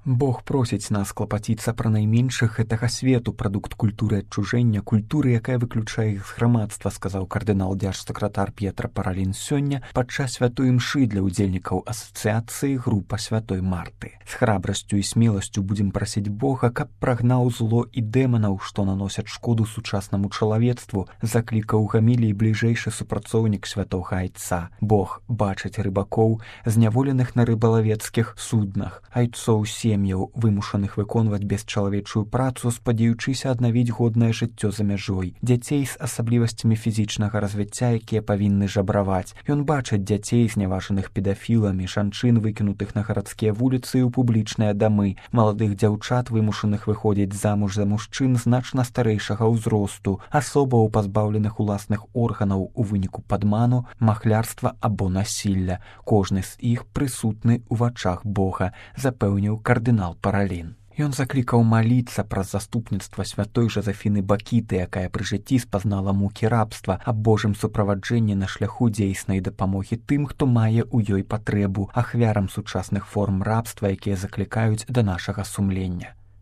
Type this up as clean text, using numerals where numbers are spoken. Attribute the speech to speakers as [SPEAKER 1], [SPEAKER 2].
[SPEAKER 1] Бог просіць нас клапаціцца пра найменшых гэтага свету, прадукт культуры адчужэння, культуры, якая выключае іх з грамадства, сказаў кардынал дзяржсакратар П'етра Паралін сёння падчас святой імшы для ўдзельнікаў асацыяцыі група святой Марты. З храбрасцю і смеласцю будзем прасіць Бога, каб прагнаў зло і дэманаў, што наносяць шкоду сучаснаму чалавецтву, заклікаў гамілій бліжэйшы супрацоўнік святога айца. Бог бачыць рыбакоў, зняволеных на рыбалавецкіх суднах, айцоў сем'яў, вымушаных выконваць бесчалавечую працу, спадзеючыся аднавіць годнае жыццё за мяжой, дзяцей з асаблівасцямі фізічнага развіцця, якія павінны жабраваць. Ён бачыць дзяцей, зняважаных педафіламі, жанчын, выкінутых на гарадскія вуліцы і ў публічныя дамы, маладых дзяўчат, вымушаных выходзіць замуж за мужчын значна старэйшага ўзросту, асобаў, пазбаўленых уласных органаў у выніку падману, махлярства або насілля. Кожны з іх прысутны ў вачах Бога, запэўніў кардынал Паралін. Ён заклікаў маліцца праз заступніцтва святой Жозефіны Бакіты, якая пры жыцці спазнала мукі рабства, аб Божым суправаджэнні на шляху дзейснай дапамогі тым, хто мае ў ёй патрэбу, ахвярам сучасных форм рабства, якія заклікаюць да нашага сумлення.